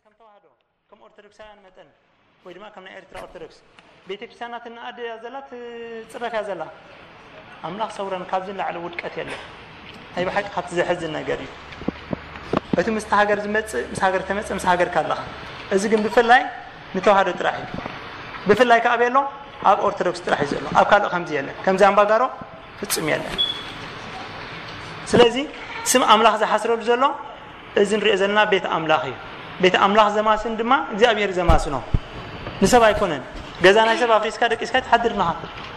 ከም ተዋህዶ፣ ከም ኦርቶዶክሳውያን መጠን፣ ወይ ድማ ከም ናይ ኤርትራ ኦርቶዶክስ፣ ቤተክርስትያናትና ኣደ እያ ዘላ፣ ትጽረፍ እያ ዘላ። ኣምላኽ ሰውረን፣ ካብዚ ንላዕሊ ውድቀት የለን። ናይ ብሓቂ ካብቲ ዘሕዝን ነገር እዩ። እቲ ምስቲ ሃገር ዝመጽእ፣ ምስ ሃገር ተመጽእ፣ ምስ ሃገር ካለኻ። እዚ ግን ብፍላይ ንተዋህዶ ጥራሕ እዩ። ብፍላይ ከኣ ቤሎ ኣብ ኦርቶዶክስ ጥራሕ እዩ ዘሎ። ኣብ ካልእ ከምዚ የለን። ከምዚ ኣምባጋሮ ፍጹም የለን። ስለዚ ስም ኣምላኽ ዝሓስረሉ ዘሎ እዚ ንሪኦ ዘለና ቤት ኣምላኽ እዩ። ቤት ኣምላኽ ዘማስን ድማ እግዚኣብሔር ዘማስኖ፣ ንሰብ ኣይኮነን። ገዛ ናይ ሰብ ኣፍሪስካ ደቂስካ ትሓድር ኣለኻ።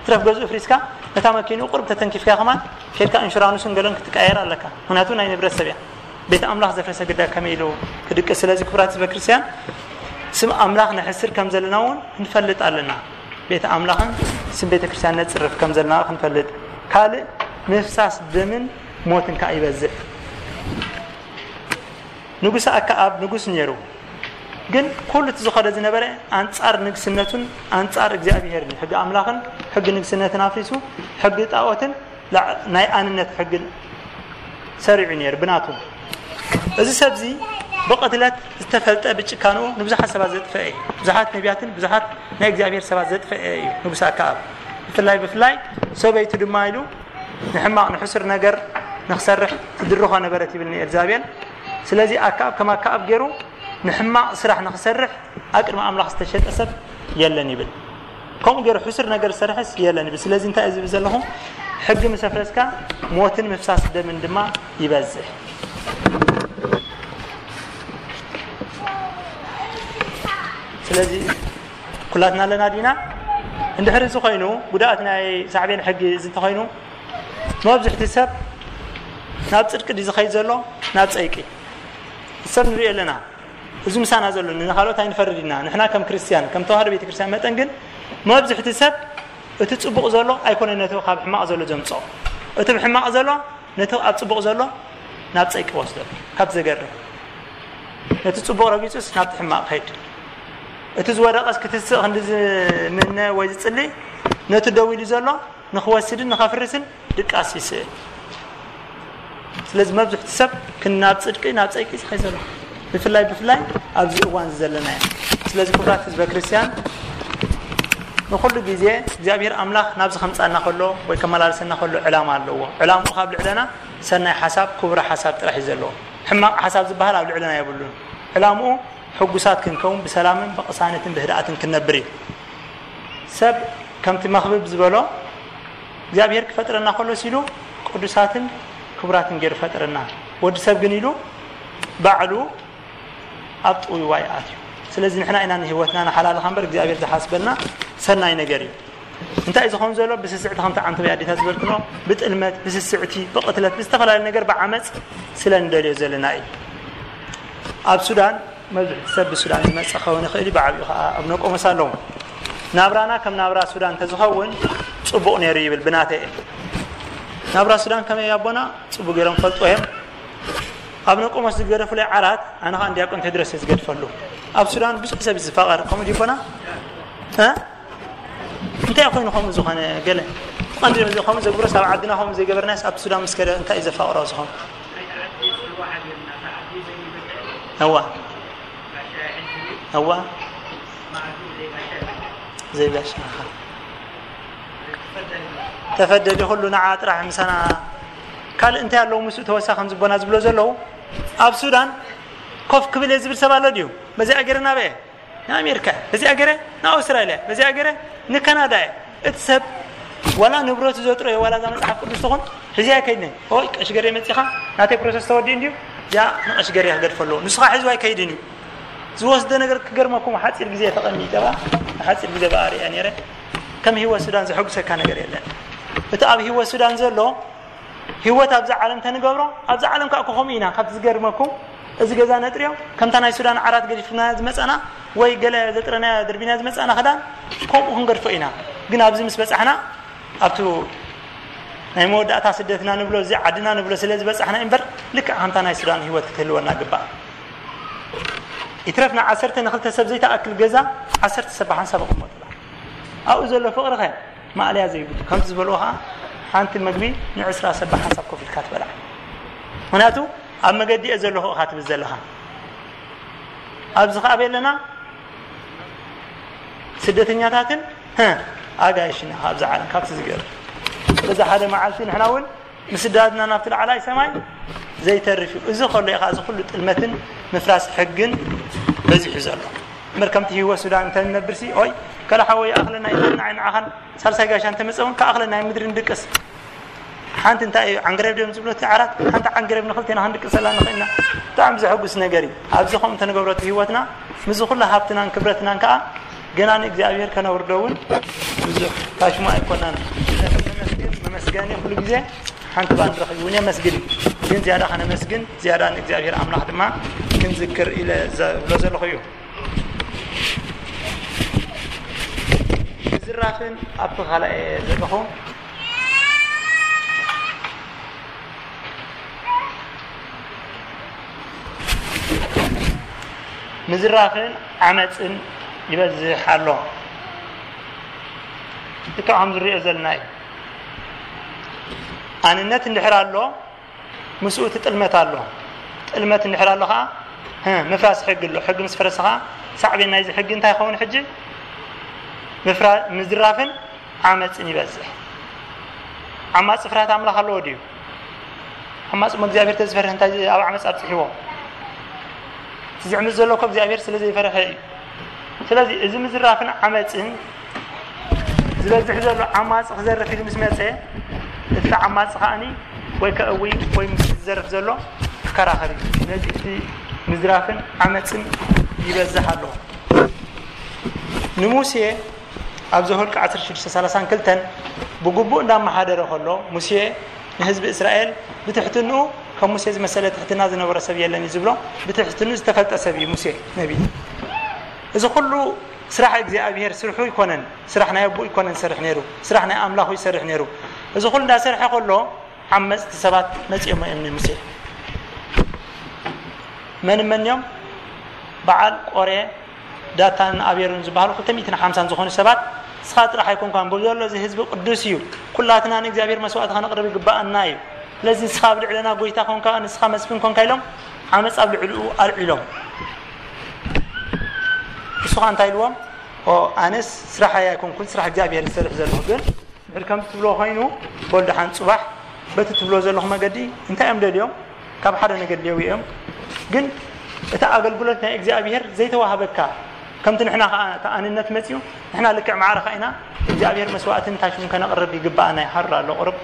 ትረፍ ገዝኡ ኣፍሪስካ፣ ነታ መኪንኡ ቁርብ ተተንኪፍካ ከማን፣ ኬድካ ኢንሹራንሱን ገለን ክትቀየር ኣለካ። ምኽንያቱ ናይ ንብረት ሰብ እያ። ቤት ኣምላኽ ዘፍረሰ ግዳ ከመይ ኢሉ ክድቅስ? ስለዚ ክቡራት ህዝበ ክርስቲያን፣ ስም ኣምላኽ ነሕስር ከም ዘለና እውን ክንፈልጥ ኣለና። ቤት ኣምላኽን ስም ቤተ ክርስቲያን ነጽርፍ ከም ዘለና ክንፈልጥ። ካልእ ምፍሳስ ደምን ሞትን ከኣ ይበዝሕ። ንጉስ ኣክዓብ ንጉስ ነይሩ፣ ግን ኩሉ እቲ ዝኸደ ዝነበረ ኣንጻር ንግስነቱን ኣንጻር እግዚኣብሄርን እዩ። ሕጊ ኣምላኽን ሕጊ ንግስነትን ኣፍሪሱ፣ ሕጊ ጣዖትን ላዕ-፣ ናይ ኣንነት ሕጊ ሰሪዑ ነይሩ ብናቱ። እዚ ሰብዚ ብቕትለት ዝተፈልጠ፣ ብጭካንኡ ንብዙሓት ሰባት ዘጥፈአ እዩ። ብዙሓት ነቢያትን ብዙሓት ናይ እግዚኣብሄር ሰባት ዘጥፈአ እዩ ንጉስ ኣክዓብ። ብፍላይ ብፍላይ ሰበይቱ ድማ ኢሉ ንሕማቕ ንሕሱር ነገር ንኽሰርሕ ትድርኾ ነበረት ይብል ንኤልዛቤል። ስለዚ ኣክዓብ ከም ኣክዓብ ገይሩ ንሕማቕ ስራሕ ንኽሰርሕ ኣብ ቅድሚ ኣምላኽ ዝተሸጠ ሰብ የለን ይብል። ከምኡ ገይሩ ሕሱር ነገር ዝሰርሕስ የለን ይብል። ስለዚ እንታይ እዩ ዝብል ዘለኹ? ሕጊ ምስ ኣፍረስካ ሞትን ምፍሳስ ደምን ድማ ይበዝሕ። ስለዚ ኩላትና ኣለና ዲና? እንድሕር እዚ ኮይኑ፣ ጉድኣት ናይ ሳዕቤን ሕጊ እዚ እንተኾይኑ፣ መብዝሕቲ ሰብ ናብ ጽድቂ ድዩ ዝኸይድ ዘሎ? ናብ ጸይቂ። ሰብ ንሪኦ ኣለና። እዚ ምሳና ዘሎ ንኻልኦት ኣይንፈርድ ኢና። ንሕና ከም ክርስትያን፣ ከም ተዋህዶ ቤተ ክርስትያን መጠን ግን፣ መብዝሕቲ ሰብ እቲ ጽቡቕ ዘሎ ኣይኮነን ነቲ ካብ ሕማቕ ዘሎ ዘምጽኦ። እቲ ብሕማቕ ዘሎ ነቲ ኣብ ጽቡቕ ዘሎ ናብ ጸይቂ ወስዶ። ካብ ዘገርም፣ ነቲ ጽቡቕ ረጊጹስ ናብቲ ሕማቕ ከይድ። እቲ ዝወደቐስ ክትስእ ክንዲ ዝምነ ወይ ዝጽሊ፣ ነቲ ደው ኢሉ ዘሎ ንኽወስድን ንኸፍርስን ድቃስ ይስእል። ስለዚ መብዝሕቲ ሰብ ክን-፣ ናብ ጽድቂ፣ ናብ ጸይቂ ዝኸይ ዘሎ፣ ብፍላይ ብፍላይ ኣብዚ እዋን እዚ ዘለና እያ። ስለዚ ክቡራት ህዝበ ክርስቲያን፣ ንኹሉ ግዜ እግዚኣብሔር ኣምላኽ ናብዚ ከምጻና ከሎ ወይ ከመላልሰና ከሎ ዕላማ ኣለዎ። ዕላምኡ ካብ ልዕለና ሰናይ ሓሳብ፣ ክቡር ሓሳብ ጥራሕ እዩ ዘለዎ። ሕማቕ ሓሳብ ዝበሃል ኣብ ልዕለና የብሉን። ዕላምኡ ሕጉሳት ክንከውን፣ ብሰላምን ብቕሳነትን ብህድኣትን ክንነብር እዩ። ሰብ ከምቲ መኽብብ ዝበሎ እግዚኣብሔር ክፈጥረና ከሎ ሲሉ ቅዱሳትን ክቡራትን ገይሩ ፈጥረና። ወዲ ሰብ ግን ኢሉ ባዕሉ ኣብ ጥውይዋይ ኣትዩ። ስለዚ ንሕና ኢና ንህይወትና ንሓላልኻ እምበር እግዚኣብሔር ዝሓስበልና ሰናይ ነገር እዩ። እንታይ እዩ ዝኸውን ዘሎ? ብስስዕቲ ከምቲ ዓንተወይ ኣዴታት ዝበልክኖ፣ ብጥልመት፣ ብስስዕቲ፣ ብቕትለት፣ ብዝተፈላለዩ ነገር ብዓመፅ ስለ ንደልዮ ዘለና እዩ። ኣብ ሱዳን መብዝሕቲ ሰብ ብሱዳን ዝመጽእ ክኸውን ይኽእል እዩ፣ ብዓቢኡ ኸዓ ኣብ ነቆመስ ኣለዉ። ናብራና ከም ናብራ ሱዳን እንተዝኸውን ጽቡቕ ነይሩ ይብል ብናተይ እየ። ናብራ ሱዳን ከመይ ኣቦና ጽቡቕ ገይሮም ፈልጥዎ እዮም። ኣብ ነቆመስ ዝገደፉለይ ዓራት ኣነ ኸዓ ንዲያቆን ቴድሮስ እየ ዝገድፈሉ። ኣብ ሱዳን ብዙሕ ሰብ እዩ ዝፋቐር፣ ከምኡ ድዩ ኣቦና? እ? እንታይ ኮይኑ ከምኡ ዝኾነ ገለ? ቀንዲ እዚ ከምኡ ዘግብሮስ ኣብ ዓድና ከምኡ ዘይገበርናስ ኣብ ሱዳን ምስ ከደ እንታይ እዩ ዘፋቕሮ ዝኾነ? እዋ። እዋ። ዘይጋሻ። ተፈደዲ ኩሉ ንዓ ጥራሕ ምሳና ካልእ እንታይ ኣለዉ ምስኡ ተወሳኺ ከም ዝቦና ዝብሎ ዘለዉ ኣብ ሱዳን ኮፍ ክብል እየ ዝብል ሰብ ኣሎ ድዩ? በዚኣ ገይረ ናበየ? ንኣሜሪካ እየ፣ በዚኣ ገይረ ንኣውስትራልያ፣ በዚኣ ገይረ ንካናዳ እየ። እቲ ሰብ ዋላ ንብረቱ ዘጥረዮ ዋላ እዛ መጽሓፍ ቅዱስ ትኹን ሒዘ ኣይከይድን። ኦይ ቀሽ ገሬ መጺኻ ናተይ ፕሮሰስ ተወዲኡ እንድዩ እዚኣ ንቐሽ ገሬ ክገድፈ ኣለዎ። ንሱ ኸዓ ሒዝዋ ኣይከይድን እዩ። ዝወስዶ ነገር ክገርመኩም ሓጺር ግዜ ተቐሚጠ ብኣ ንሓጺር ግዜ ብኣ ርእያ ነይረ። ከም ህይወት ሱዳን ዘሐጉሰካ ነገር የለን። እቲ ኣብ ህይወት ሱዳን ዘሎ ህይወት ኣብዛ ዓለም ተንገብሮ ኣብዛ ዓለም ከዓ ከምኡ ኢና። ካብቲ ዝገርመኩም እዚ ገዛ ነጥርዮ ከምታ ናይ ሱዳን ዓራት ገዲፍና ዝመፃና ወይ ገለ ዘጥረናዮ ደርቢና ዝመፃና ክዳን ከምኡ ክንገድፎ ኢና። ግን ኣብዚ ምስ በፃሕና ኣብቲ ናይ መወዳእታ ስደትና ንብሎ እዚ ዓድና ንብሎ ስለ ዝበፃሕና እምበር ልክዕ ከምታ ናይ ሱዳን ህይወት ክትህልወና ግባእ። ይትረፍና ዓሰርተ ንክልተ ሰብ ዘይተኣክል ገዛ ዓሰርተ ሰብ ብሓንሳብ ኣቕመጡላ። ኣብኡ ዘሎ ፍቕሪ ኸ ማእለያ ዘይብሉ። ከምቲ ዝበልዎ ኸዓ ሓንቲ መግቢ ንዕስራ ሰብ ብሓንሳብ ኮፍ ኢልካ ትበልዓ። ምኽንያቱ ኣብ መገዲ እየ ዘለኹ ኢኻ ትብል ዘለኻ። ኣብዚ ከኣ ኣለና ስደተኛታትን፣ ሀ፣ ኣጋይሽና ካብዛ ዓለም፣ ካብቲ ዝገርም። በዛ ሓደ መዓልቲ ንሕና እውን ምስ ስዳድና ናብቲ ላዕላይ ሰማይ ዘይተርፍ እዩ። እዚ ከሎ እዩ ከኣ እዚ ኩሉ ጥልመትን ምፍራስ ሕግን በዚሑ ዘሎ። እምበር ከምቲ ህይወት ሱዳን እንተንነብርሲ፣ ኦይ፣ ከላ ሓወይ ይኣኽለና፣ ይተና ንዓኻን ሳልሳይ ጋሻ እንተመጸ እውን ከኣኽለና እዩ፣ ምድሪ ንድቅስ። ሓንቲ እንታይ እዩ ዓንገረብ ድዮም ዝብሎ እቲ ዓራት? ሓንቲ ዓንገረብ ንኽልቴና ክንድቅሰላ ንኽእልና። ብጣዕሚ ዘሐጉስ ነገር እዩ። ኣብዚ ከምኡ እንተንገብሮ እቲ ህይወትና፣ ምስዚ ኩሉ ሃብትናን ክብረትናን ከኣ ገና ንእግዚኣብሔር ከነውርዶ እውን ብዙሕ ታሽሙ ኣይኮናን። ነመስግን፣ መመስገኒ ኩሉ ግዜ ሓንቲ ባንድ ረኺቡ እውን የመስግን እዩ። ግን ዝያዳ ከነመስግን፣ ዝያዳ ንእግዚኣብሔር ኣምላኽ ድማ ክንዝክር ኢለ ዘብሎ ዘለኹ እዩ። ምዝራፍን ኣብቲ ካልኣይ እየ ዘለኹ። ምዝራፍን ዓመፅን ይበዝሕ ኣሎ። ልክዕ ከም ዝሪኦ ዘለና እዩ። ኣንነት እንድሕር ኣሎ፣ ምስኡ እቲ ጥልመት ኣሎ። ጥልመት እንድሕር ኣሎ ኸዓ፣ ህ፣ ምፍራስ ሕጊ ኣሎ። ሕጊ ምስ ፈረሰ ኸዓ፣ ሳዕቤን ናይዚ ሕጊ እንታይ ይኸውን ሕጂ? ምፍራ-፣ ምዝራፍን ዓመፅን ይበዝሕ። ዓማፂ ፍርሃት ኣምላኽ ኣለዎ ድዩ? ዓማፂ እሞ እግዚኣብሔር ተዝፈርህ እንታይ ኣብ ዓመፅ ኣብፅሕዎ? እቲ ዝዕምፅ ዘሎ እኮ እግዚኣብሔር ስለ ዘይፈርሀ እዩ። ስለዚ እዚ ምዝራፍን ዓመፅን ዝበዝሕ ዘሎ ዓማፂ ክዘርፍ ኢሉ ምስ መፀ፣ እቲ ዓማፂ ከዓኒ ወይ ከእዊ ወይ ምስ ዝዘርፍ ዘሎ ክከራኸር እዩ። ስለዚ እቲ ምዝራፍን ዓመፅን ይበዝሕ ኣሎ። ንሙሴ ኣብ ዘኍልቍ ዓሰርተ ሽዱሽተ ሰላሳን ክልተን ብግቡእ እንዳመሓደረ ከሎ፣ ሙሴ ንህዝቢ እስራኤል ብትሕትንኡ፣ ከም ሙሴ ዝመሰለ ትሕትና ዝነበሮ ሰብ የለን እዩ ዝብሎ። ብትሕትንኡ ዝተፈልጠ ሰብ እዩ ሙሴ ነቢ። እዚ ኩሉ ስራሕ እግዚኣብሔር ስርሑ ይኮነን፣ ስራሕ ናይ ኣቦኡ ይኮነን ዝሰርሕ ነይሩ፣ ስራሕ ናይ ኣምላኹ ይሰርሕ ነይሩ። እዚ ኩሉ እንዳሰርሐ ከሎ ዓመፅቲ ሰባት መፂኦም እዮም ንሙሴ። መን መን እዮም? በዓል ቆሬ፣ ዳታንን ኣቤሮን ዝበሃሉ ክልተ ሚእትን ሓምሳን ዝኾኑ ሰባት፣ ንስኻ ጥራሕ ኣይኮንካን፣ በብዘሎ እዚ ህዝቢ ቅዱስ እዩ፣ ኩላትና ንእግዚኣብሔር መስዋእቲ ከነቕርብ ይግባኣና እዩ። ስለዚ ንስኻ ኣብ ልዕለና ጎይታ ኮንካ፣ ንስኻ መስፍን ኮንካ ኢሎም ዓመፅ ኣብ ልዕሊኡ ኣልዒሎም። ንሱ ኸኣ እንታይ ኢልዎም? ኦ፣ ኣነስ ስራሐይ ኣይኮንኩን፣ ስራሕ እግዚኣብሔር ዝሰርሕ ዘለኹ፣ ግን ድሕር ከምዚ ትብሎ ኮይኑ፣ በል ደሓን ጽባሕ በቲ ትብሎ ዘለኹ መገዲ እንታይ እዮም ደልዮም? ካብ ሓደ ነገር ደልየው እዮም። ግን እቲ ኣገልግሎት ናይ እግዚኣብሔር ዘይተዋህበካ፣ ከምቲ ንሕና ኸኣ እቲ ኣንነት መጺኡ፣ ንሕና ልክዕ ማዕረኻ ኢና፣ እግዚኣብሔር መስዋእትን ታሽሙን ከነቕርብ ይግብኣና እዩ። ሃሩር ኣሎ ቁሩብ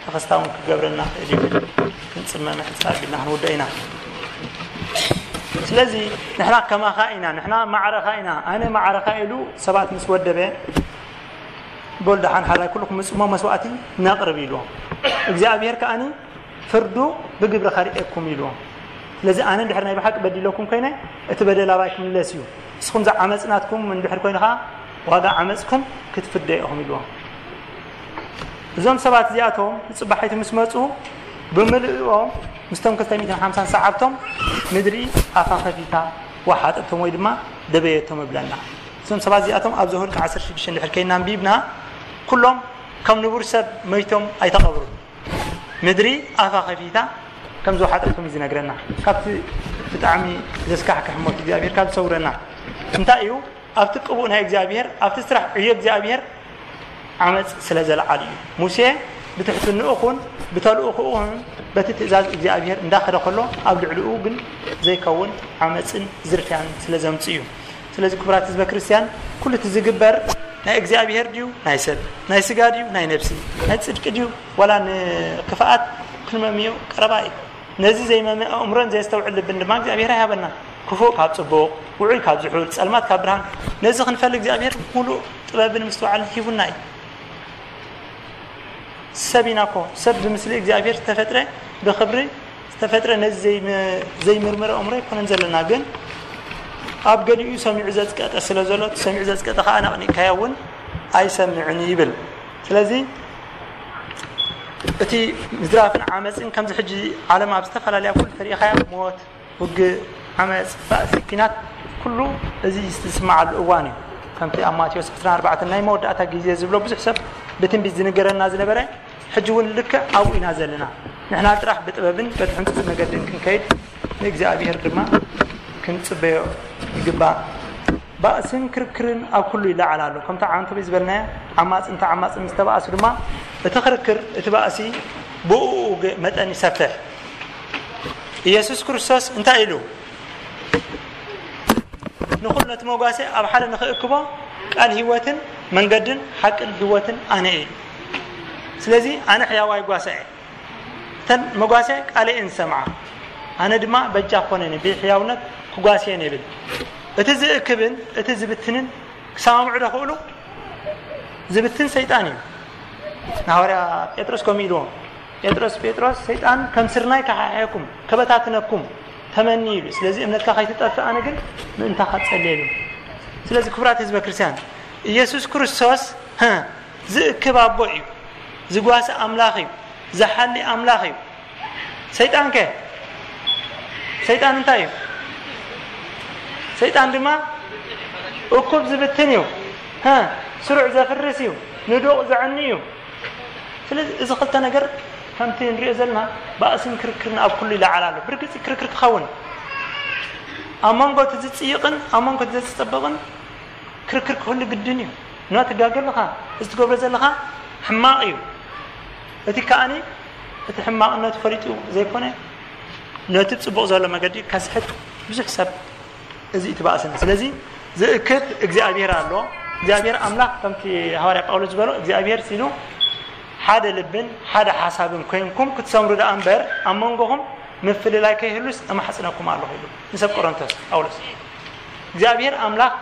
ተኸስታ እውን ክገብረና ክእል እዩ። ክንጽመ ምሕጻብ ኢልና ክንውድኦ ኢና። ስለዚ ንሕና ከማኻ ኢና፣ ንሕና ማዕረኻ ኢና፣ ኣነ ማዕረኻ ኢሉ ሰባት ምስ ወደበ፣ በሉ ደሓን ሓራይ ኩልኩም ምጽሞ መስዋእቲ ነቕርብ ኢልዎም። እግዚኣብሔር ከኣኒ ፍርዱ ብግብሪ ከርእየኩም ኢልዎም። ስለዚ ኣነ እንድሕር ናይ ብሓቂ በዲለኩም ኮይነ፣ እቲ በደል ኣባይ ክምለስ እዩ። ንስኹም ዝዓመጽ ናትኩም እንድሕር ኮይኑ ኸኣ፣ ዋጋ ዓመጽኩም ክትፍደዩ ኢኹም ኢልዎም። እዞም ሰባት እዚኣቶም ንጽባሒቱ ምስ መጹ፣ ብምልእኦም ምስቶም ክልተ ሚእትን ሓምሳን ሰዓብቶም ምድሪ ኣፋ ከፊታ ወሓጠቶም ወይ ድማ ደበየቶም እብለና። እዞም ሰባት እዚኣቶም ኣብ ዘኍልቁ ዓሰርተ ሽዱሽተ እንድሕር ከይና ኣንቢብና፣ ኩሎም ከም ንቡር ሰብ መይቶም ኣይተቐብሩን። ምድሪ ኣፋ ከፊታ ከም ዝወሓጠቶም እዩ ዝነግረና። ካብቲ ብጣዕሚ ዘስካሕክሕ ሞት እግዚኣብሔር ካብ ዝሰውረና። እንታይ እዩ? ኣብቲ ቅቡእ ናይ እግዚኣብሔር፣ ኣብቲ ስራሕ ዕዮ እግዚኣብሔር ዓመፅ ስለ ዘልዓሉ እዩ። ሙሴ ብትሕትንኡ ኹን ብተልእኾኡ ኹን በቲ ትእዛዝ እግዚኣብሔር እንዳኸደ ከሎ፣ ኣብ ልዕሊኡ ግን ዘይከውን ዓመፅን ዝርፍያን ስለ ዘምፅእ እዩ። ስለዚ ክቡራት ህዝበ ክርስቲያን፣ ኩሉ እቲ ዝግበር ናይ እግዚኣብሔር ድዩ ናይ ሰብ? ናይ ስጋ ድዩ ናይ ነብሲ? ናይ ጽድቂ ድዩ ዋላ ንክፍኣት ክንመምዮ ቀረባ እዩ። ነዚ ዘይመምእ ኣእምሮን ዘየስተውዕል ልብን ድማ እግዚኣብሔር ኣይሃበና። ክፉእ ካብ ጽቡቕ፣ ውዑይ ካብ ዝሑል፣ ጸልማት ካብ ብርሃን፣ ነዚ ክንፈልግ እግዚኣብሔር ሙሉእ ጥበብን ምስትውዓልን ሂቡና እዩ። ሰብ ኢና እኮ፣ ሰብ ብምስሊ እግዚኣብሔር ዝተፈጥረ፣ ብኽብሪ ዝተፈጥረ፣ ነዚ ዘይም-፣ ዘይምርምር ኣእምሮ ኣይኮነን ዘለና። ግን ኣብ ገሊኡ ሰሚዑ ዘጽቀጠ ስለ ዘሎ፣ እቲ ሰሚዑ ዘጽቀጠ ከኣ ኣነቕኒቕካዮ እውን ኣይሰምዕን ይብል። ስለዚ እቲ ምዝራፍን ዓመፅን ከምዚ ሕጂ ዓለም ኣብ ዝተፈላለያ ኩሉ ተሪኢኻያ፣ ሞት፣ ውግእ፣ ዓመፅ፣ ባእሲ፣ ኲናት፣ ኩሉ እዚ ዝስምዓሉ እዋን እዩ። ከምቲ ኣብ ማቴዎስ ዕስራን ኣርባዕተን ናይ መወዳእታ ግዜ ዝብሎ ብዙሕ ሰብ ብትንቢት ዝንገረና ዝነበረ፣ ሕጂ እውን ልክዕ ኣብኡ ኢና ዘለና። ንሕና ጥራሕ ብጥበብን በቲ ሕንጹጽ መገድን ክንከይድ ንእግዚኣብሔር ድማ ክንጽበዮ ይግባእ። ባእስን ክርክርን ኣብ ኩሉ ይለዓል ኣሎ። ከምቲ ዓንተቦይ ዝበልናዮ፣ ዓማጽን ተዓማጽን ምስ ተባእሱ ድማ፣ እቲ ክርክር፣ እቲ ባእሲ ብእኡ መጠን ይሰፍሕ። ኢየሱስ ክርስቶስ እንታይ ኢሉ? ንኹሉ ነቲ መጓሰ ኣብ ሓደ ንኽእክቦ፣ ቃል ህይወትን መንገድን ሓቅን ህይወትን ኣነ እየ። ስለዚ ኣነ ሕያዋይ ጓሳ እየ። እተን መጓሰ ቃለይ እየን ዝሰምዓ፣ ኣነ ድማ በጃ ክኾነኒ ብሕያውነት ክጓስየን ይብል። እቲ ዝእክብን እቲ ዝብትንን ክሰማምዑ ዶ ክእሉ? ዝብትን ሰይጣን እዩ። ንሃዋርያ ጴጥሮስ ከምኡ ኢልዎ፣ ጴጥሮስ፣ ጴጥሮስ፣ ሰይጣን ከም ስርናይ ከሓሕየኩም፣ ከበታትነኩም ተመኒ ኢሉ። ስለዚ እምነትካ ከይትጠፍእ ኣነ ግን ምእንታኻ ጸልየ ኢሉ። ስለዚ ክቡራት ህዝበ ክርስቲያን፣ ኢየሱስ ክርስቶስ፣ ህ፣ ዝእክብ ኣቦ እዩ፣ ዝጓሲ ኣምላኽ እዩ፣ ዝሓሊ ኣምላኽ እዩ። ሰይጣን ከ? ሰይጣን እንታይ እዩ? ሰይጣን ድማ እኩብ ዝብትን እዩ፣ ህ፣ ስሩዕ ዘፍርስ እዩ፣ ንዱቕ ዘዕኒ እዩ። ስለዚ እዚ ክልተ ነገር ከምቲ ንሪኦ ዘለና ባእስን ክርክርን ኣብ ኩሉ ይለዓል ኣሎ። ብርግጽ ክርክር ክኸውን ኣብ መንጎ እቲ ዝጽይቕን ኣብ መንጎ እቲ ዘጸብቕን ክርክር ክህሉ ግድን እዩ። ኖ ትጋገ ኣለኻ፣ እዚ ትገብሮ ዘለኻ ሕማቕ እዩ። እቲ ከኣኒ እቲ ሕማቕነቱ ፈሊጡ ዘይኮነ ነቲ ጽቡቕ ዘሎ መገዲ ከስሕት ብዙሕ ሰብ እዚ እቲ ባእስን። ስለዚ ዝእክብ እግዚኣብሔር ኣሎ። እግዚኣብሔር ኣምላኽ ከምቲ ሃዋርያ ጳውሎስ ዝበሎ እግዚኣብሔር ሲሉ ሓደ ልብን ሓደ ሓሳብን ኮይንኩም ክትሰምሩ ደኣ እምበር ኣብ መንጎኹም ምፍልላይ ከይህሉስ እማሕጽነኩም ኣለኹ ኢሉ ንሰብ ቆሮንቶስ ጳውሎስ። እግዚኣብሔር ኣምላኽ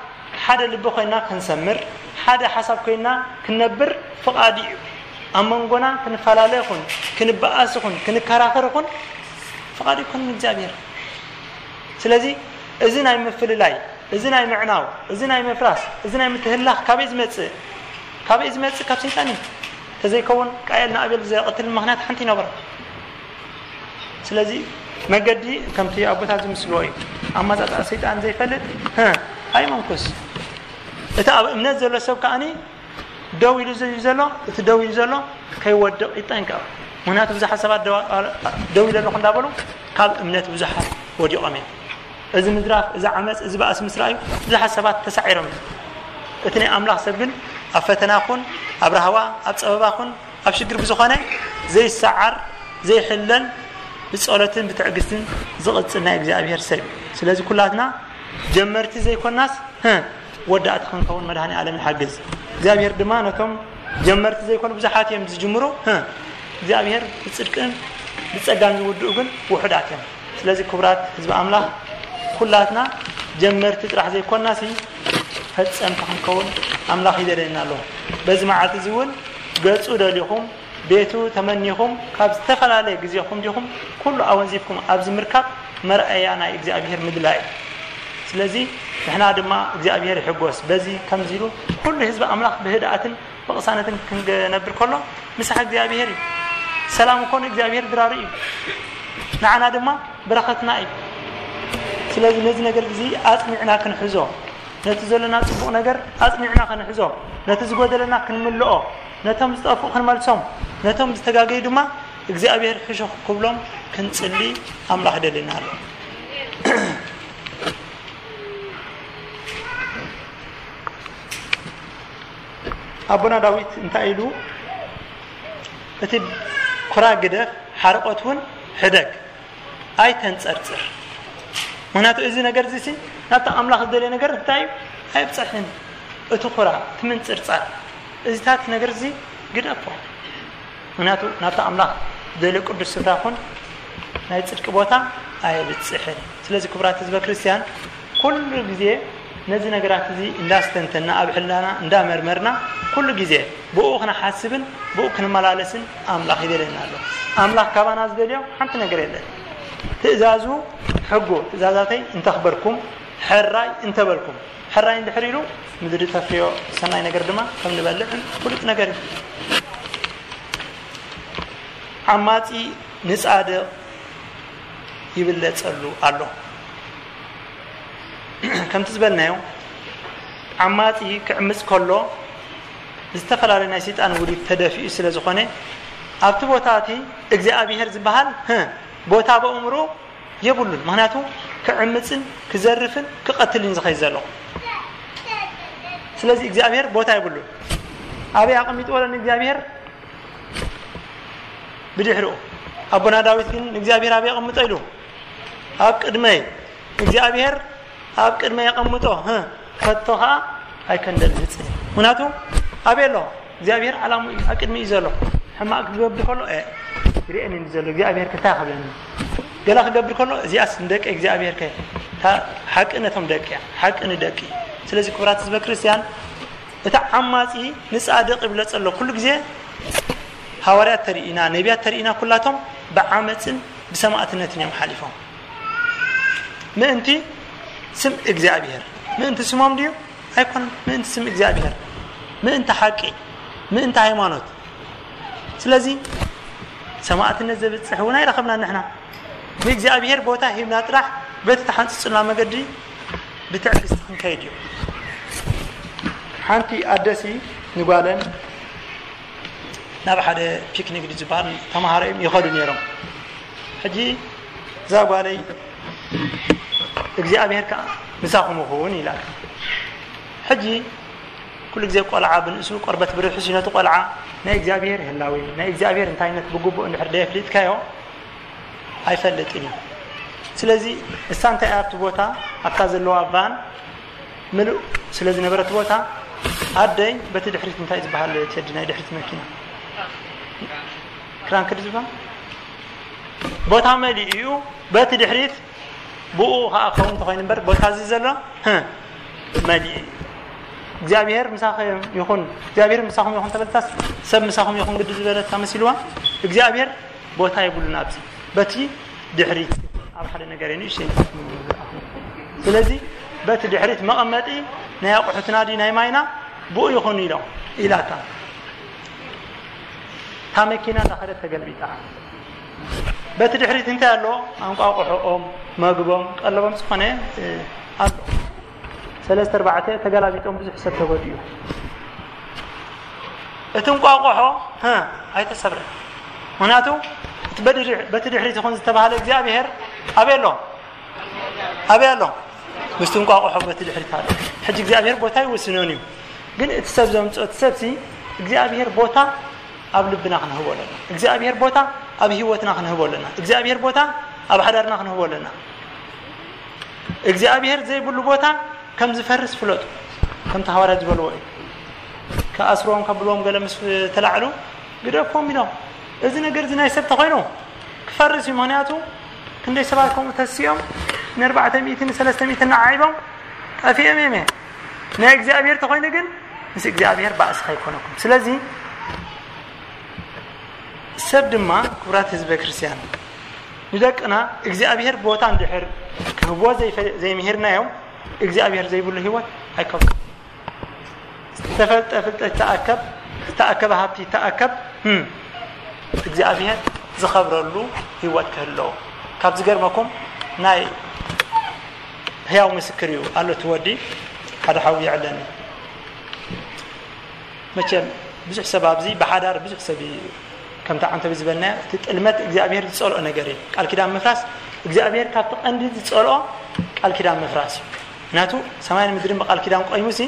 ሓደ ልቢ ኮይና ክንሰምር፣ ሓደ ሓሳብ ኮይና ክንነብር ፍቓዱ እዩ። ኣብ መንጎና ክንፈላለ ይኹን፣ ክንበኣስ ይኹን፣ ክንከራኸር ይኹን ፍቓዱ ይኮንን እግዚኣብሔር። ስለዚ እዚ ናይ ምፍልላይ፣ እዚ ናይ ምዕናው፣ እዚ ናይ ምፍራስ፣ እዚ ናይ ምትህላኽ ካበይ ዝመጽእ? ካበይ ዝመጽእ? ካብ ሰይጣን እዩ። ተዘይከውን ቃየል ንኣቤል ዘቐትል ምኽንያት ሓንቲ ይነበረ። ስለዚ መገዲ ከምቲ ኣቦታት ዝምስልዎ እዩ። ኣመጻጽኣ ሰይጣን ዘይፈልጥ፣ ህ፣ ኣይመንኩስ። እቲ ኣብ እምነት ዘሎ ሰብ ከኣኒ ደው ኢሉ እዩ ዘሎ፣ እቲ ደው ኢሉ ዘሎ ከይወድቕ ይጠንቀቕ። ምኽንያቱ ብዙሓት ሰባት ደው፣ ደው ኢለ ኣለኹ እንዳበሉ ካብ እምነት ብዙሓት ወዲቖም እዮም። እዚ ምዝራፍ፣ እዚ ዓመፅ፣ እዚ ባእሲ ምስ ረኣዩ ብዙሓት ሰባት ተሳዒሮም እዮም። እቲ ናይ ኣምላኽ ሰብ ግን ኣብ ፈተና ኹን፣ ኣብ ራህዋ፣ ኣብ ጸበባ ኹን፣ ኣብ ሽግር ብዝኾነ ዘይሰዓር፣ ዘይሕለል፣ ብጸሎትን ብትዕግስትን ዝቕጽል ናይ እግዚኣብሔር ሰብ እዩ። ስለዚ ኩላትና ጀመርቲ ዘይኮናስ፣ ህ፣ ወዳእቲ ክንከውን መድኃኔ ዓለም ይሓግዝ። እግዚኣብሔር ድማ ነቶም ጀመርቲ ዘይኮኑ ብዙሓት እዮም ዝጅምሩ፣ ህ፣ እግዚኣብሔር ብጽድቅን ብጸጋን ዝውድኡ ግን ውሑዳት እዮም። ስለዚ ክቡራት ህዝቢ ኣምላኽ ኩላትና ጀመርቲ ጥራሕ ዘይኮናሲ ፈጸምቲ ክንከውን ኣምላኽ ይደልየና ኣሎ። በዚ መዓልቲ እዚ እውን ገጹ ደሊኹም ቤቱ ተመኒኹም ካብ ዝተፈላለየ ግዜኹም ዲኹም ኩሉ ኣወንዚፍኩም ኣብዚ ምርካብ መርኣያ ናይ እግዚኣብሔር ምድላይ እዩ። ስለዚ ንሕና ድማ እግዚኣብሔር ይሕጎስ። በዚ ከምዚ ኢሉ ኩሉ ህዝቢ ኣምላኽ ብህድኣትን ብቕሳነትን ክንነብር ከሎ ምሳሕ እግዚኣብሔር እዩ። ሰላም እኮ ንእግዚኣብሔር ድራሩ እዩ፣ ንዓና ድማ በረኸትና እዩ። ስለዚ ነዚ ነገር እዚ ኣጽኒዕና ክንሕዞ፣ ነቲ ዘለና ጽቡቕ ነገር ኣጽኒዕና ክንሕዞ፣ ነቲ ዝጎደለና ክንምልኦ፣ ነቶም ዝጠፍኡ ክንመልሶም፣ ነቶም ዝተጋገዩ ድማ እግዚኣብሔር ሕሹኽ ክብሎም ክንጽሊ ኣምላኽ ደልየና ኣሎ። ኣቦና ዳዊት እንታይ ኢሉ? እቲ ኩራ ግደፍ፣ ሓርቆት እውን ሕደግ፣ ኣይተንጸርጽር። ምኽንያቱ እዚ ነገር እዚ ሲ ናብቲ ኣምላኽ ዝደልዮ ነገር እንታይ እዩ? ኣየብጽሕን። እቲ ኩራ፣ እቲ ምንጽርጻር፣ እዚታት ነገር እዚ ግደፎ። ምኽንያቱ ናብቲ ኣምላኽ ዝደልዮ ቅዱስ ስፍራ ኹን ናይ ጽድቂ ቦታ ኣየብጽሕን። ስለዚ ክቡራት ህዝበ ክርስቲያን ኩሉ ግዜ ነዚ ነገራት እዚ እንዳስተንተና ኣብ ሕልናና እንዳመርመርና ኩሉ ግዜ ብኡ ክንሓስብን ብኡ ክንመላለስን ኣምላኽ ይደልየና ኣሎ። ኣምላኽ ካባና ዝደልዮ ሓንቲ ነገር የለን። ትእዛዙ፣ ሕጉ፣ ትእዛዛተይ እንተኽበርኩም፣ ሕራይ እንተበልኩም፣ ሕራይ እንድሕር ኢሉ ምድሪ ተፍርዮ ሰናይ ነገር ድማ ከም ንበልዕ ፍሉጥ ነገር እዩ። ዓማጺ ንጻድቕ ይብለጸሉ ኣሎ። ከምቲ ዝበልናዮ ዓማጺ ክዕምጽ ከሎ ዝተፈላለዩ ናይ ሰይጣን ውዲት ተደፊኡ ስለ ዝኾነ ኣብቲ ቦታ እቲ እግዚኣብሔር ዝበሃል፣ ህ፣ ቦታ በእምሮ የብሉን። ምኽንያቱ ክዕምፅን ክዘርፍን ክቐትልን ዝኸይ ዘሎ። ስለዚ እግዚኣብሔር ቦታ ይብሉ። ኣበይ ኣቐሚጥዎ ኣሎ ንእግዚኣብሔር? ብድሕሪኡ። ኣቦና ዳዊት ግን ንእግዚኣብሔር ኣበይ ኣቐምጦ ኢሉ? ኣብ ቅድመይ። እግዚኣብሔር ኣብ ቅድመይ ኣቐምጦ፣ ህ፣ ከቶ ኸዓ ኣይከንደልህፅን። ምክንያቱ ኣበይ ኣሎ? እግዚኣብሔር ዓላሙ እዩ፣ ኣብ ቅድሚ እዩ ዘሎ። ሕማቅ ክገብር ከሎ፣ እ፣ ይርእየኒ ዘሎ እግዚኣብሔር ክታይ ክብለኒ። ገላ ክገብር ከሎ፣ እዚኣስ ንደቂ እግዚኣብሔር ከ፣ እታ ሓቂ ነቶም ደቂ እያ፣ ሓቂ ንደቂ። ስለዚ ክቡራት ህዝበ ክርስቲያን፣ እቲ ዓማጺ ንጻድቕ ይብሎ ዘሎ ኩሉ ግዜ። ሃዋርያት ተርእዩና፣ ነቢያት ተርእዩና፣ ኩላቶም ብዓመጽን ብሰማእትነትን እዮም ሓሊፎም። ምእንቲ ስም እግዚኣብሔር። ምእንቲ ስሞም ድዩ? ኣይኮነን። ምእንቲ ስም እግዚኣብሔር። ምእንቲ ሓቂ። ምእንቲ ሃይማኖት። ስለዚ ሰማእትነት ዘብጽሕ እውን ኣይረኸብናን ንሕና። ንእግዚኣብሔር ቦታ ሂብና ጥራሕ በቲ ተሓንጽጹልና መገዲ ብትዕግስቲ ክንከይድ እዩ። ሓንቲ ኣደሲ ንጓለን ናብ ሓደ ፒክኒክ ዝበሃል ተምሃሮ እዮም ይኸዱ ነይሮም። ሕጂ እዛ ጓለይ እግዚኣብሔር ከኣ ምሳኹም ይኹን ኢላታ። ሕጂ ኩሉ ግዜ ቆልዓ ብንእሱ ቆርበት ብርሑስ እዩ። ነቲ ቆልዓ ናይ እግዚኣብሔር ህላዌ፣ ናይ እግዚኣብሔር እንታይነት ብግቡእ እንድሕር ደየፍሊጥካዮ ኣይፈልጥን እዩ። ስለዚ እሳ እንታይ ኣብቲ ቦታ ኣብታ ዘለዋ ቫን ምሉእ ስለ ዝነበረ እቲ ቦታ ኣደይ በቲ ድሕሪት እንታይ ዝበሃል ቴዲ ናይ ድሕሪት መኪና ክራንክ ድዩ ዝበሃል ቦታ መሊኡ እዩ። በቲ ድሕሪት ብኡ ከዓ ከውን እንተኾይኑ እምበር ቦታ እዚ ዘሎ ህ መሊኡ እዩ። እግዚኣብሔር ምሳኸም ይኹን፣ እግዚኣብሔር ምሳኹም ይኹን ተበልታስ ሰብ ምሳኹም ይኹን ግዲ ዝበለታ መሲልዋ። እግዚኣብሔር ቦታ የብሉን ኣብዚ። በቲ ድሕሪት ኣብ ሓደ ነገር እዩ ንእሽተይ ንፋስ ምንዝኣኹ። ስለዚ በቲ ድሕሪት መቐመጢ ናይ ኣቑሑትና ድዩ ናይ ማይና ብኡ ይኹን ኢሎም ኢላታ። እታ መኪና እንዳኸደት ተገልቢጣ። በቲ ድሕሪት እንታይ ኣሎ? ኣንቋቑሖኦም፣ መግቦም፣ ቀለቦም ዝኾነ፣ እ፣ ኣሎ። ሰለስተ ኣርባዕተ ተገላቢጦም ብዙሕ ሰብ ተጎዲኡ። እቲ እንቋቑሖ፣ ህ፣ ኣይተሰብረን። ምኽንያቱ እቲ በድሪ-፣ በቲ ድሕሪት ይኹን ዝተባህለ እግዚኣብሔር ኣበይ ኣሎ? ኣበይ ኣሎ? ምስቲ እንቋቑሖ በቲ ድሕሪት ኣሎ። ሕጂ እግዚኣብሔር ቦታ ይውስኖን እዩ። ግን እቲ ሰብ ዘምጽኦ፣ እቲ ሰብሲ እግዚኣብሔር ቦታ ኣብ ልብና ክንህቦ ኣለና። እግዚኣብሔር ቦታ ኣብ ህይወትና ክንህቦ ኣለና። እግዚኣብሔር ቦታ ኣብ ሓዳርና ክንህቦ ኣለና። እግዚኣብሔር ዘይብሉ ቦታ ከም ዝፈርስ ፍለጡ። ከምቲ ሃዋርያት ዝበልዎ እዩ። ክኣስርዎም ከብልዎም ገለ ምስ ተላዕሉ፣ ግደፍዎም ኢሎም። እዚ ነገር እዚ ናይ ሰብ ተኾይኑ ክፈርስ እዩ። ምኽንያቱ ክንደይ ሰባት ከምኡ ተሲኦም ንኣርባዕተ ሚእትን ንሰለስተ ሚእትን ንዓይቦም ጠፊኦም እዮም። ናይ እግዚኣብሔር ተኾይኑ ግን ምስ እግዚኣብሔር ባእሲ ከይኮነኩም። ስለዚ ሰብ ድማ፣ ክቡራት ህዝበ ክርስቲያን፣ ንደቅና እግዚኣብሔር ቦታ እንድሕር ክህቦ ዘይፈ-፣ ዘይምሂርናዮም፣ እግዚኣብሔር ዘይብሉ ህይወት ኣይከብሉን። ዝተፈልጠ ፍልጠት ይተኣከብ፣ ዝተኣከበ ሃብቲ ይተኣከብ፣ እም፣ እግዚኣብሔር ዝኸብረሉ ህይወት ክህልዎ። ካብ ዝገርመኩም ናይ ህያው ምስክር እዩ ኣሎ፣ እቲ ወዲ ሓደ ሓው ይዕለኒ። መቸም ብዙሕ ሰብ ኣብዚ ብሓዳር ብዙሕ ሰብ እዩ፣ ከምቲ ዓንተቢ ዝበልናዮ፣ እቲ ጥልመት እግዚኣብሔር ዝጸልኦ ነገር እዩ። ቃል ኪዳን ምፍራስ እግዚኣብሔር ካብቲ ቀንዲ ዝጸልኦ ቃል ኪዳን ምፍራስ እዩ። ምክንያቱ ሰማይን ምድርን ብቃል ኪዳን ቆይሙሲ፣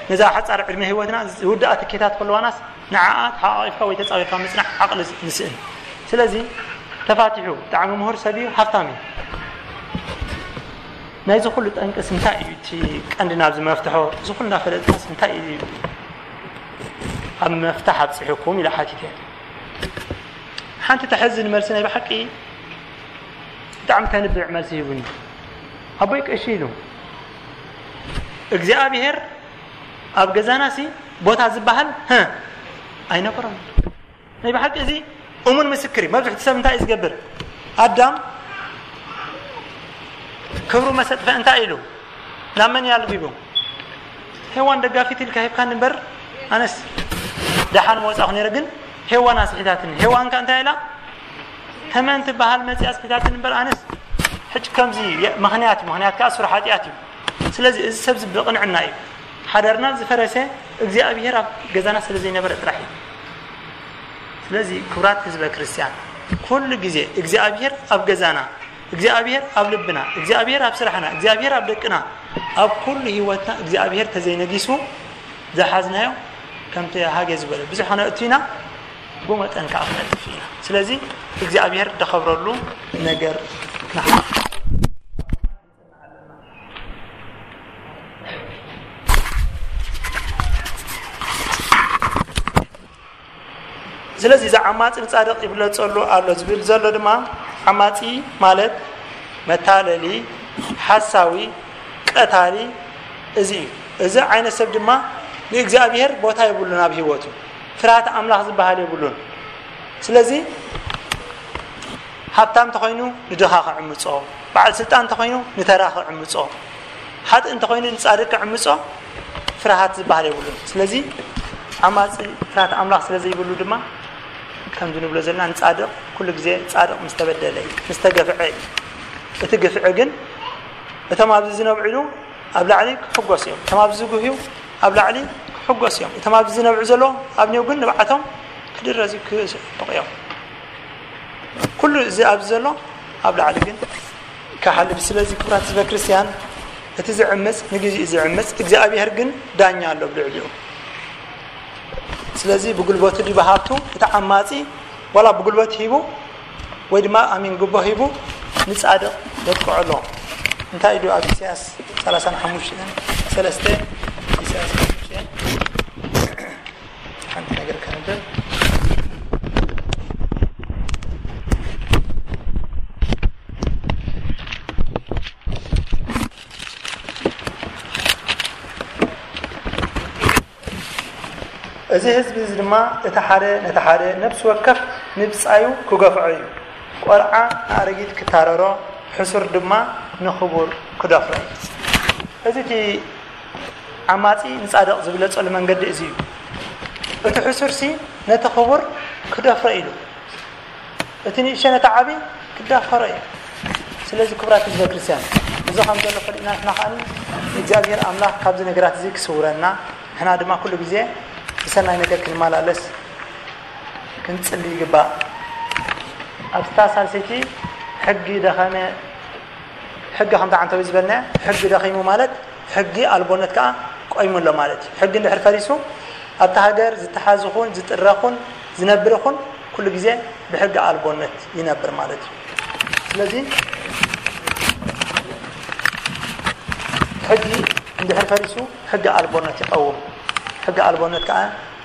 ነዛ ሓጻር ዕድመ ህይወትና ዝውድኣ ትኬታት ከለዋናስ ንዓኣ ተሓቋቒፍካ ወይ ተጻዊርካ ምጽናሕ ዓቕሊ ንስእን። ስለዚ ተፋቲሑ ብጣዕሚ ምሁር ሰብ እዩ፣ ሃብታም እዩ። ናይዚ ኩሉ ጠንቅስ እንታይ እዩ? እቲ ቀንዲ ናብዚ መፍትሖ እዚ ኩሉ እናፈለጥካስ እንታይ እዩ ኣብ መፍታሕ ኣብጺሑኩም ኢለ ሓቲተ። ሓንቲ ተሕዝን መልሲ ናይ ብሓቂ ብጣዕሚ ተንብዕ መልሲ ሂቡኒ። ኣቦይ ቀሺ ኢሉ፣ እግዚኣብሔር ኣብ ገዛናሲ ቦታ ዝበሃል፣ ህ፣ ኣይነበሮን። ናይ ብሓቂ እዚ እሙን ምስክር እዩ። መብዝሕቲ ሰብ እንታይ እዩ ዝገብር? ኣዳም ክብሩ መሰጥፈ እንታይ ኢሉ? ናብ መን እዩ ኣልቢቡ? ሄዋን ደጋፊት ኢልካ ሂብካኒ እምበር ኣነስ ደሓን መወጻእኩ ነይረ፣ ግን ሄዋን ኣስሒታትኒ። ሄዋን ከ እንታይ ኢላ? ተመን ትበሃል መጺኣ ኣስሒታትኒ እምበር ኣነስ ሕጂ ከምዚ የ-፣ ምኽንያት እዩ። ምኽንያት ከኣ ሱር ሓጢኣት እዩ። ስለዚ እዚ ሰብ እዚ ብቕንዕና እዩ። ሓዳርና ዝፈረሰ እግዚኣብሔር ኣብ ገዛና ስለ ዘይነበረ ጥራሕ እዩ። ስለዚ ክቡራት ህዝበ ክርስቲያን፣ ኩሉ ግዜ እግዚኣብሔር ኣብ ገዛና እግዚኣብሔር ኣብ ልብና፣ እግዚኣብሔር ኣብ ስራሕና፣ እግዚኣብሔር ኣብ ደቅና፣ ኣብ ኩሉ ህይወትና እግዚኣብሔር ተዘይነጊሱ ዝሓዝናዮ ከምቲ ሃገ ዝበለ ብዙሕ ክነእቱ ኢና፣ ብመጠን ከዓ ክነጥፍ ኢና። ስለዚ እግዚኣብሔር ደኸብረሉ ነገር ንሓ ስለዚ እዚ ዓማጺ ንጻድቕ ይብለጸሉ ኣሎ ዝብል ዘሎ ድማ ዓማጺ ማለት መታለሊ፣ ሓሳዊ፣ ቀታሊ እዚ እዩ። እዚ ዓይነት ሰብ ድማ ንእግዚኣብሔር ቦታ የብሉን ኣብ ህይወቱ። ፍርሃት ኣምላኽ ዝበሃል የብሉን። ስለዚ ሃብታም እንተኾይኑ ንድኻ ክዕምጾ፣ በዓል ስልጣን እንተኾይኑ ንተራ ክዕምጾ፣ ሓጥእ እንተኾይኑ ንጻድቅ ክዕምጾ ፍርሃት ዝበሃል የብሉን። ስለዚ ዓማጺ ፍርሃት ኣምላኽ ስለ ዘይብሉ ድማ ከምዚ ንብሎ ዘለና ንጻድቕ ኩሉ ግዜ ጻድቕ ምስ ተበደለ እዩ፣ ምስ ተገፍዐ እዩ። እቲ ግፍዒ ግን እቶም ኣብዚ ዝነብዕሉ ኣብ ላዕሊ ክሕጎስ እዮም። እቶም ኣብዚ ዝጉህዩ ኣብ ላዕሊ ክሕጎስ እዮም። እቶም ኣብዚ ዝነብዑ ዘለዉ ኣብኔው ግን ንብዓቶም ክድረዙ ክስሕቑ እዮም። ኩሉ እዚ ኣብዚ ዘሎ ኣብ ላዕሊ ግን ክሓልፍ። ስለዚ ክቡራት ህዝበ ክርስቲያን፣ እቲ ዝዕምጽ ንግዜኡ ዝዕምጽ፣ እግዚኣብሔር ግን ዳኛ ኣሎ ብልዕሊኡ። ስለዚ ብጉልበቱ ድዩ ብሃብቱ እቲ ዓማጺ ዋላ ብጉልበት ሂቡ ወይ ድማ ኣሚን ጉቦ ሂቡ ንጻድቕ የጥቅዖ ኣሎ። እንታይ ኢሉ ኣብ ኢሳያስ ሰላሳን ሓሙሽተን ሰለስተ፣ ኢሳያስ ሓሙሽተ ሓንቲ ነገር ከንብብ። እዚ ህዝቢ እዚ ድማ እቲ ሓደ ነቲ ሓደ ነፍሲ ወከፍ ንብጻዩ ክገፍዖ እዩ። ቆልዓ ንኣረጊት ክታረሮ፣ ሕሱር ድማ ንኽቡር ክደፍሮ እዩ። እዚ እቲ ዓማጺ ንጻድቕ ዝብለጸሉ መንገዲ እዚ እዩ። እቲ ሕሱርሲ ነቲ ክቡር ክደፍሮ ኢሉ፣ እቲ ንእሽቶ ነቲ ዓቢ ክዳፈሮ እዩ። ስለዚ ክቡራት ህዝበ ክርስቲያን፣ እዚ ከም ዘሎ ፈሊጥና ንሕና ከኣ እግዚኣብሔር ኣምላኽ ካብዚ ነገራት እዚ ክስውረና፣ ንሕና ድማ ኩሉ ግዜ ብሰናይ ነገር ክንመላለስ ክንጽሊ ይግባእ። ኣብታ ሳልሰይቲ ሕጊ ደኸመ፣ ሕጊ ከምታ ዓንተቢ ዝበልና፣ ሕጊ ደኺሙ ማለት ሕጊ ኣልቦነት ከኣ ቆይሙ ኣሎ ማለት እዩ። ሕጊ እንድሕር ፈሪሱ ኣብታ ሃገር ዝተሓዝ ኹን ዝጥረ ኹን ዝነብር ኹን ኩሉ ግዜ ብሕጊ ኣልቦነት ይነብር ማለት እዩ። ስለዚ ሕጊ እንድሕር ፈሪሱ ሕጊ ኣልቦነት ይቐውም። ሕጊ ኣልቦነት ከኣ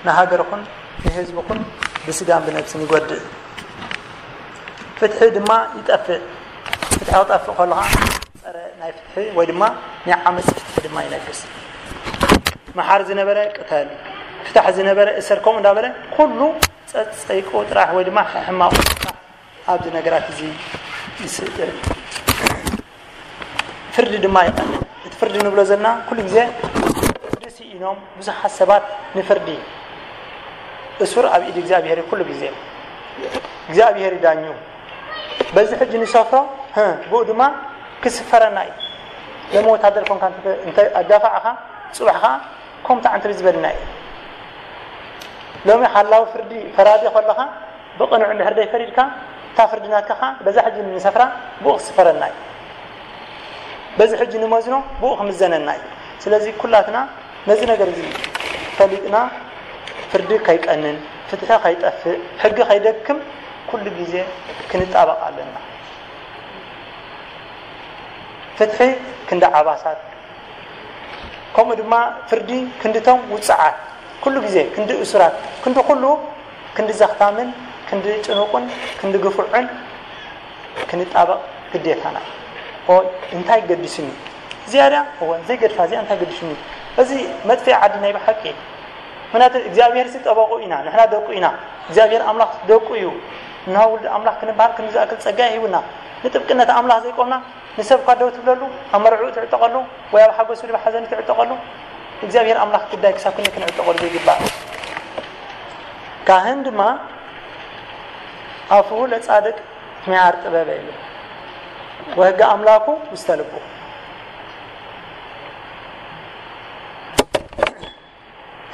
ንሃገር ኹን ንህዝቢ ኹን ብስጋን ብነብስን ይጎድእ። ፍትሒ ድማ ይጠፍእ። ፍትሒ ክጠፍእ ከሎ ኸዓ ጸረ ናይ ፍትሒ ወይ ድማ ናይ ዓመጽ ፍትሒ ድማ ይነግስ። መሓር ዝነበረ ቅተል፣ ፍታሕ ዝነበረ እሰር፣ ከምኡ እንዳበለ ኩሉ ጸጸይቁ ጥራሕ ወይ ድማ ሕማቁ ጥራሕ ኣብዚ ነገራት እዚ ይስእል። ፍርዲ ድማ ይቐንእ። እቲ ፍርዲ ንብሎ ዘለና ኩሉ ግዜ ፍርዲ ስኢኖም ብዙሓት ሰባት ንፍርዲ። እሱር ኣብ ኢድ እግዚኣብሔር እዩ ኩሉ ግዜ። እግዚኣብሔር ይዳኙ። በዚ ሕጂ ንሰፍሮ፣ ህ፣ ብኡ ድማ ክስፈረና እዩ። ሎሚ ወታደር ኮንካ እንተ፣ እንተ ኣጋፋዕኻ፣ ጽባሕ ኸዓ ከምቲ ዓንተቢ ዝበልና እዩ። ሎሚ ሓላዊ ፍርዲ ፈራዲ ከለኻ ብቕኑዕ እንድሕር ደይፈሪድካ፣ እታ ፍርዲ ናትካ ኸዓ በዛ ሕጂ ንሰፍራ ብኡ ክስፈረና እዩ። በዚ ሕጂ ንመዝኖ ብኡ ክምዘነና እዩ። ስለዚ ኩላትና ነዚ ነገር እዚ ፈሊጥና ፍርዲ ከይቀንን፣ ፍትሒ ከይጠፍእ፣ ሕጊ ከይደክም ኩሉ ግዜ ክንጣበቕ ኣለና። ፍትሒ ክንዲ ዓባሳት፣ ከምኡ ድማ ፍርዲ ክንድቶም ውጹዓት፣ ኩሉ ግዜ ክንዲ እሱራት፣ ክንዲ ኩሉ፣ ክንዲ ዘኽታምን፣ ክንዲ ጭኑቕን፣ ክንዲ ግፉዕን ክንጣበቕ ግዴታና እዩ። ኦይ፣ እንታይ ገዲሱኒ? እዚኣ ድያ? እወ፣ ዘይገድፋ እዚኣ እንታይ ገዲሱኒ? እዚ መጥፍኢ ዓዲ ናይ ብሓቂ እዩ። ምኽንያቱ እግዚኣብሔር ሲ ጠበቑ ኢና፣ ንሕና ደቁ ኢና። እግዚኣብሔር ኣምላኽ ደቁ እዩ። እንሆ ውልድ ኣምላኽ ክንበሃል ክንዲ ዝኣክል ጸጋ ሂቡና። ንጥብቅነት ኣምላኽ ዘይቆምና፣ ንሰብ እኳ ደው ትብለሉ፣ ኣብ መርዕኡ ትዕጠቐሉ፣ ወይ ኣብ ሓጎስ ወይ ኣብ ሓዘኑ ትዕጠቐሉ፣ እግዚኣብሔር ኣምላኽ ግዳይ ክሳብ ክንደይ ክንዕጠቐሉ ዘይግባእ። ካህን ድማ ኣፉሁ ለጻድቅ ሚያር ጥበበ ይብል፣ ወሕገ ኣምላኩ ውስተ ልቡ።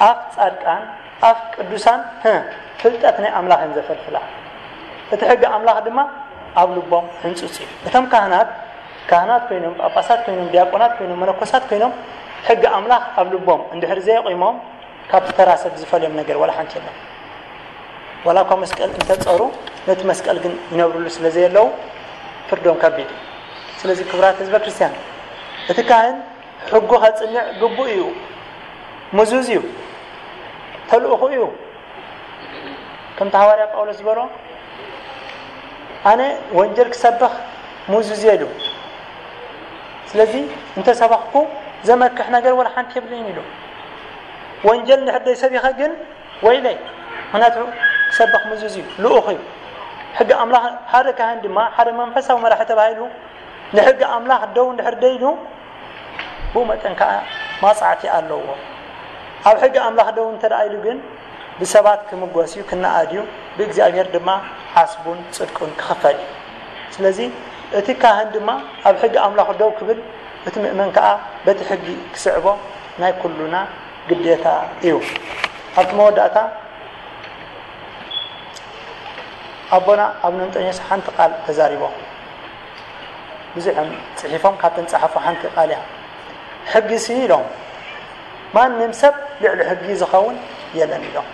ኣፍ ጻድቃን፣ ኣፍ ቅዱሳን፣ ህ፣ ፍልጠት ናይ ኣምላኽ እየን ዘፈልፍላ። እቲ ሕጊ ኣምላኽ ድማ ኣብ ልቦም ህንጹጽ እዩ። እቶም ካህናት፣ ካህናት ኮይኖም፣ ጳጳሳት ኮይኖም፣ ዲያቆናት ኮይኖም፣ መነኮሳት ኮይኖም፣ ሕጊ ኣምላኽ ኣብ ልቦም እንድሕር ዘየቑሞም፣ ካብቲ ተራ ሰብ ዝፈልዮም ነገር ዋላ ሓንቲ የለን። ዋላ እኳ መስቀል እንተጸሩ፣ ነቲ መስቀል ግን ይነብርሉ ስለ ዘየለዉ፣ ፍርዶም ከቢድ እዩ። ስለዚ ክቡራት ህዝበ ክርስቲያን፣ እቲ ካህን ሕጉ ከጽንዕ ግቡእ እዩ። ምዙዝ እዩ። ተልእኹ እዩ። ከምቲ ሃዋርያ ጳውሎስ ዝበሎ፣ ኣነ ወንጀል ክሰብኽ ምዙዝ እየ ኢሉ። ስለዚ እንተ ሰበኽኩ ዘመክሕ ነገር ወላ ሓንቲ የብለይን ኢሉ። ወንጀል እንድሕር ደይሰቢኸ ግን ወይለይ፣ ምኽንያቱ ክሰብኽ ምዙዝ እዩ፣ ልኡኽ እዩ። ሕጊ ኣምላኽ፣ ሓደ ካህን ድማ፣ ሓደ መንፈሳዊ መራሒ ተባሂሉ ንሕጊ ኣምላኽ ደው እንድሕር ደይሉ፣ ብኡ መጠን ከኣ ማጽዓቲ ኣለዎ። ኣብ ሕጊ ኣምላኽ ደው እንተ ደኣ ኢሉ ግን፣ ብሰባት ክምጎስ እዩ፣ ክነኣድ እዩ፣ ብእግዚኣብሔር ድማ ዓስቡን ጽድቁን ክኽፈል እዩ። ስለዚ እቲ ካህን ድማ ኣብ ሕጊ ኣምላኽ ደው ክብል፣ እቲ ምእመን ከኣ በቲ ሕጊ ክስዕቦ ናይ ኩሉና ግዴታ እዩ። ኣብቲ መወዳእታ ኣቦና ኣቡነ እንጦንዮስ ሓንቲ ቃል ተዛሪቦም። ብዙሕ እዮም ጽሒፎም፣ ካብተን ጸሓፉ ሓንቲ ቃል እያ። ሕጊ ሲ ኢሎም፣ ማንም ሰብ ልዕሊ ሕጊ ዝኸውን የለን ኢሎም።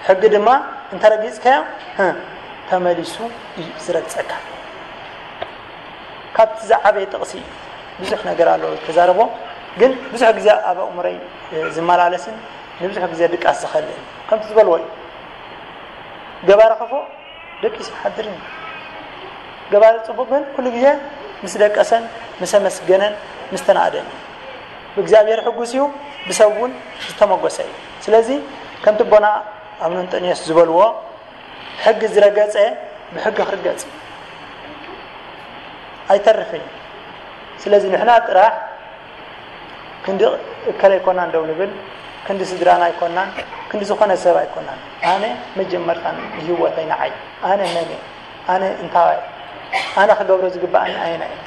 ሕጊ ድማ እንተ ረጊጽካዮ፣ ህ፣ ተመሊሱ እዩ ዝረግጸካ። ካብቲ ዝዓበየ ጥቕሲ ብዙሕ ነገር ኣሎ ተዛረቦ፣ ግን ብዙሕ ግዜ ኣብ ኣእምሮይ ዝመላለስን ንብዙሕ ግዜ ድቃስ ዝኸልእን ከምቲ ዝበልዎ እዩ። ገባሪ ክፉእ ደቂሱ ይሓድር እዩ። ገባሪ ጽቡቕ ግን ኩሉ ግዜ ምስ ደቀሰን፣ ምስ ኣመስገነን፣ ምስ ተናእደን እዩ። ብእግዚኣብሔር ሕጉስ እዩ፣ ብሰብ እውን ዝተመጎሰ እዩ። ስለዚ ከምቲ ኣቦና ኣቡነ እንጠንዮስ ዝበልዎ፣ ሕጊ ዝረገጸ ብሕጊ ክርገጽ እዩ። ኣይተርፍን እዩ። ስለዚ ንሕና ጥራሕ ክንዲ እከለ ኣይኮናን ደው ንብል፣ ክንዲ ስድራና ኣይኮናን፣ ክንዲ ዝኾነ ሰብ ኣይኮናን። ኣነ መጀመርታ ንህይወተይ ንዓይ፣ ኣነ መን እየ? ኣነ እንታይ እየ? ኣነ ክገብሮ ዝግባኣኒ ኣየናይ እዩ?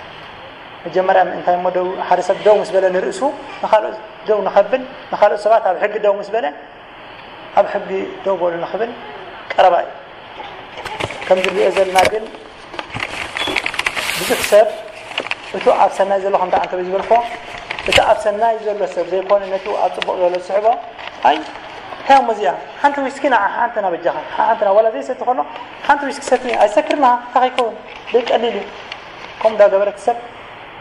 መጀመርያ ምእንታይ እሞ ደው፣ ሓደ ሰብ ደው ምስ በለ ንርእሱ፣ ንኻልኦት ደው ንኸብል፣ ንኻልኦት ሰባት ኣብ ሕጊ ደው ምስ በለ፣ ኣብ ሕጊ ደው በሉ ንኽብል ቀረባ እዩ። ከምዚ ንሪኦ ዘለና ግን ብዙሕ ሰብ እቱ ኣብ ሰናይ ዘሎ ከምታ ኣንተበይ ዝበልኮ፣ እቲ ኣብ ሰናይ ዘሎ ሰብ ዘይኮነ ነቱ ኣብ ጽቡቕ ዘሎ ዝስሕቦ፣ ኣይ እንታይ እሞ እዚኣ ሓንቲ ዊስኪ ንዓ ሓንቲ ናበጃኻ ሓንቲ ና ዋላ ዘይሰቲ ከሎ ሓንቲ ዊስኪ ሰቲ ኣይሰክርና እንታይ ከይከውን ደይ ቀሊል እዩ። ከምኡ እንዳገበረት ሰብ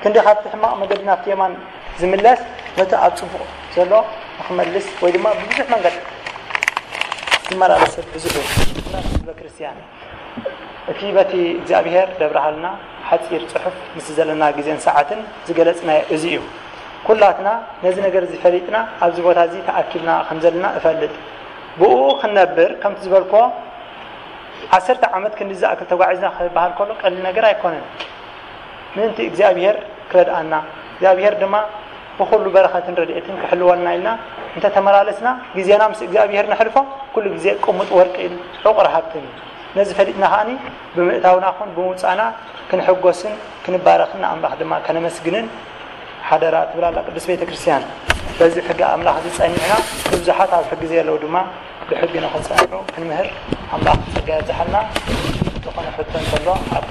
ክንዲ ካብቲ ሕማቕ መገዲ ናብቲ የማን ዝምለስ ነቲ ኣብ ጽቡቕ ዘሎ ንኽመልስ ወይ ድማ ብብዙሕ መንገዲ ዝመላለስ ሰብ ብዙሕ እዩ። ህዝበ ክርስቲያን እቲ በቲ እግዚኣብሔር ደብርሃልና ሓጺር ጽሑፍ ምስ ዘለና ግዜን ሰዓትን ዝገለጽናዮ እዚ እዩ። ኩላትና ነዚ ነገር እዚ ፈሊጥና ኣብዚ ቦታ እዚ ተኣኪብና ከም ዘለና እፈልጥ። ብኡ ክንነብር ከምቲ ዝበልኮ ዓሰርተ ዓመት ክንዲ ዝኣክል ተጓዒዝና ክበሃል ከሎ ቀሊል ነገር ኣይኮነን። ምእንቲ እግዚኣብሔር ክረድኣና እግዚኣብሔር ድማ ብኹሉ በረኸትን ረድኤትን ክሕልወልና ኢልና እንተተመላለስና ግዜና ምስ እግዚኣብሔር ነሕልፎ ኩሉ ግዜ ቅሙጥ ወርቅን ዕቑር ሃብትን እዩ። ነዚ ፈሊጥና ከዓኒ ብምእታውና ኹን ብምውፃእና ክንሕጎስን ክንባረኽን ንኣምላኽ ድማ ከነመስግንን ሓደራ ትብል ኣላ ቅድስት ቤተ ክርስቲያን። በዚ ሕጊ ኣምላኽ እዚ ጸኒዕና ንብዙሓት ኣብ ሕጊ ዘየለዉ ድማ ብሕጊ ንኽጸንዑ ክንምህር ኣምላኽ ጸጋ የብዝሓልና። ዝኾነ ሕቶ እንተሎ ኣብ